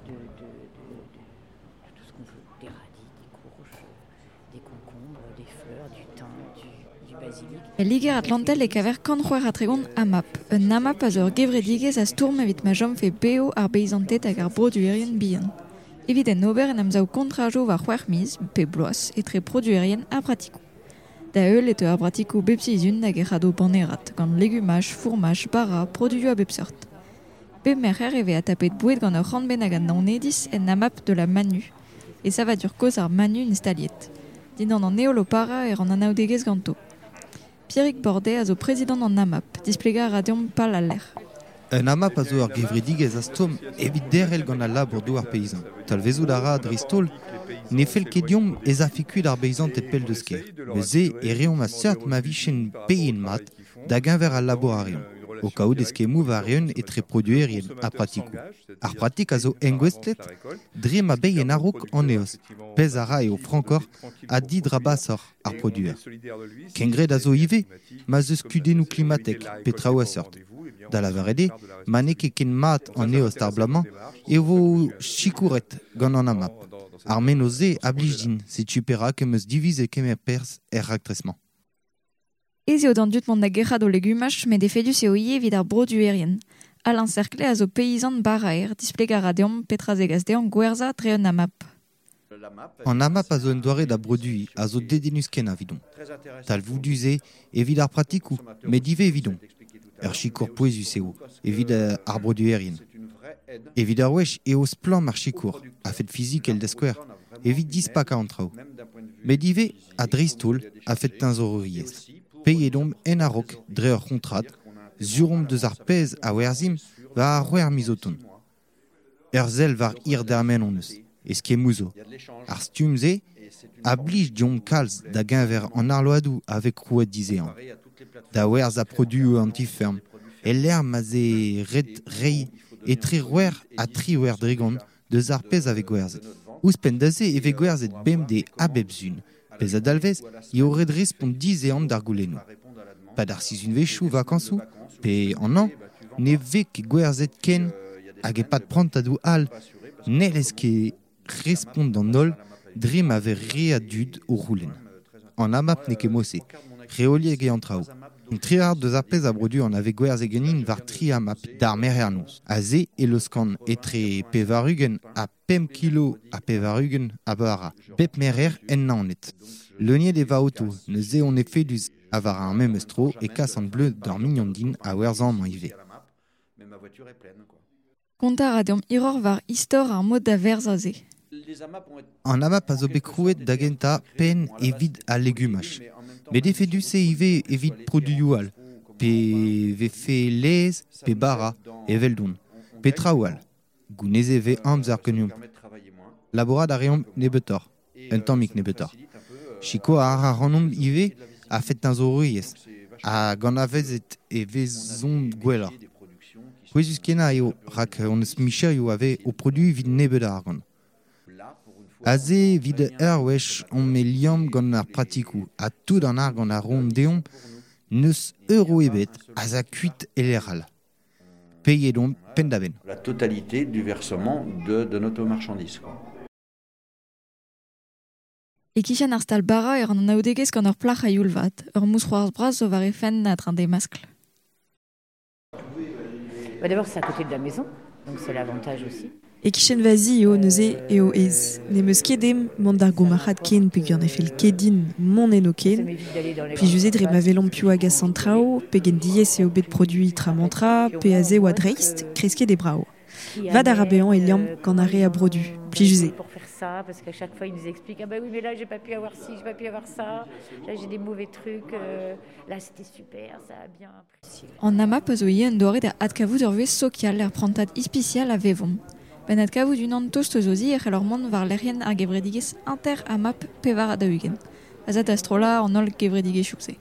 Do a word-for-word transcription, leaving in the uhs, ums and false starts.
de, de, de, de tout ce qu'on veut, des radis, des courges, des concombres, des fleurs, du thym, du, du basilic. E Liger Atlantel e kaver kant c'hwec'h ha tregont AMAP. Un AMAP a zo ur gevredigezh a stourm evit ma chomfe bev ar beizanted hag ar broduerien bihan. Evit en ober en amsav kontrajoù war c'hwec'h miz, pe bloaz, etre produerien ha pratikoù. Da heul e teu ar pratikoù bep sizhun hag e c'hado panerad, gant legumaj, fourmaj, bara, produioù a bep seurt. Bep merc'her e vez atapet boued gant ur c'hant bennak a Naonediz en AMAP de la Manu, e savadur kozh ar Manu instaliet. Dindan an heol o parañ e ran anaoudegezh ganto. Pierrick Bordet a zo prezidant an AMAP, displegañ a ra deomp pal al lec'h. Un AMAP a zo ur gevredigezh a stourm evit derc'hel gant al labour douar peizant. Talvezout a ra dreist-holl ne fell ket deomp ez afe kuit ar beizanted pell deus kêr. Neuze e reomp a seurt ma vijent paeet mat da geñver al labour a reont. O kaout eskemmoù war-eeun etre produerien ha pratikoù. Ar pratik a zo engouestlet dre ma bae en a-raok an eost. Pezh a ra eo frankoc'h ha didrabasoc'h ar produer. Kengred a zo ivez ma 'z eus kudennoù klimatek pe traoù a seurt. Da lavaret eo, ma n'eo ket ken mat an eost ar bloaz-mañ e vo sikouret gant an AMAP. Ar mennozh-se a blij din, setu perak em eus divizet kemer perzh er raktres-mañ. Ez eo d'an dud mont da gerc'hat o legumaj, met efedus eo ivez evit ar broduerien. Alain Cerclet a zo peizant baraer, displegañ a ra deomp petra zegas dezhañ gwerzhañ dre un AMAP. An AMAP a zo un doare da broduiñ a zo dedennus kenañ evidon. Talvoudus eo evit ar pratikoù, met ivez evidon. Ur sikour pouezus eo evit ar broduerien. Evit ar wech eo splann ar sikour, a-fet fizikel da skouer, evit dispakañ an traoù. Met ivez ha dreist-holl a-fet teñzoreriezh. Paeet omp en a-raok dre ur c'hontrad, sur omp deus ar pezh a werzhimp war ar c'hwec'h miz o tont. Ur sell war hir dermen hon eus, eskemmoù zo. Ar stumm-se a blij deomp kalz da geñver an arloadoù a vez krouet dizehan. Da werzhañ produioù an ti-feurm, e-lec'h ma 'z eo ret reiñ etre c'hwec'h ha triwec'h dregont deus ar pezh a vez gwerzhet. Ouzhpenn da se e vez gwerzhet bemdez ha bep sizhun. Pezh a dalvez eo ret respont dizehan d'ar goulennoù. Pad ar sizhunvezhioù vakañsoù pe an hañv ne vez ket gwerzhet ken hag e-pad prantadoù all n'hellez ket respont d'an holl dre ma vez re a dud o c'houlenn. An AMAP n'eo ket mod-se, reoliek eo an traoù. Un tri-c'hard deus ar pezh a brodu an a vez gwerzhet ganin war tri AMAP d'ar merc'her noz. Aze e laoskan etre pevar-ugent ha pemp kilo ha pevar-ugent a bara. Bep merc'her en Naoned. Leuniet eo va oto, neuze on efedus ha war ar memes tro e kas an bleud d'ar mignon din a werzhañ amañ ivez. Kontañ a ra deomp hiroc'h war istor ar mod da werzhañ-se. An AMAP a zo bet krouet da gentañ penn evit al legumaj. Met efedus eo ivez evit produioù all, pe vefe laezh pe bara, eveldon, pe traoù all. Gounezet e vez amzer ganeomp. Labourat a reomp nebeutoc'h, un tammig nebeutoc'h. Sikour a ra ac'hanomp ivez a-fet teñzoreriezh, hag anavezet e vezomp gwelloc'h. Pouezus-kenañ eo rak hon eus micherioù a vez o produiñ evit nebeut a argant. Aze evit ur wech omp e liamm gant ar pratikoù ha tout an argant a roont deomp n'eus euro ebet az a kuit e lec'h all. Paeet omp penn-da-benn. La totalité du versement de, de notre marchandise, quoi. E-kichen ar stal bara e ran anaoudegezh gant ur plac'h a-youl vat, ur mousc'hoarzh bras zo war he fenn a-dreñv d'he maskl. Bah d'abord, c'est à côté de la maison, donc c'est l'avantage aussi. E-kichen va zi eo neuze eo aes. N'em eus ket ezhomm mont d'ar gourmarc'had ken peogwir ne fell ket din mont eno ken. Plijus eo dre ma welomp piv a gas an traoù, pegen diaes eo bet produiñ tra-mañ-tra, pe aze oa dreist, kresket eo brav. Vad a ra bezañ e liamm gant ar re a brodu. Plijus eo. Pour faire ça, parce qu'à chaque fois, il nous explique, ah bah oui, mais là, j'ai pas pu avoir ci, j'ai pas pu avoir ça, là, j'ai des mauvais trucs, euh, là, c'était super, ça a bien apprécié. An AMAP a zo ivez un doare da adkavout ur vuhez sokial er prantad ispisial a vevomp. Ben adkavout unan tost eus o zi e c'hellor mont war lec'hienn ar gevredigezh inter-AMAP pevar ha daou-ugent. A za da strollañ an holl gevredigezhioù-se.